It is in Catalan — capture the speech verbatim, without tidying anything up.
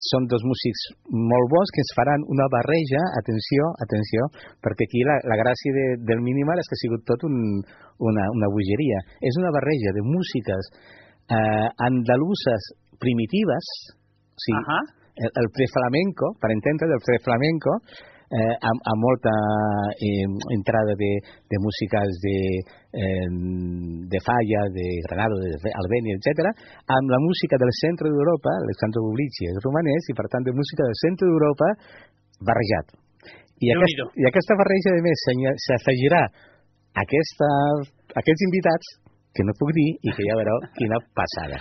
són dos músics molt bons que ens faran una barreja, atenció, atenció, perquè aquí la, la gràcia de, del Minimal és que ha sigut tot un, una, una bogeria. És una barreja de músiques eh, andaluses primitives, o sigui, uh-huh. el, el preflamenco, per entendre, del preflamenco, eh, amb, amb molta eh, entrada de, de músiques de, eh, de Falla, de Granado, de Albéniz, etcètera, amb la música del centre d'Europa, Alexandre Publici és romanès, i per tant de música del centre d'Europa barrejat. I, aquest, i aquesta barreja, a més, s'afegirà aquesta, aquests invitats, que no puc dir, i que ja veureu quina passada.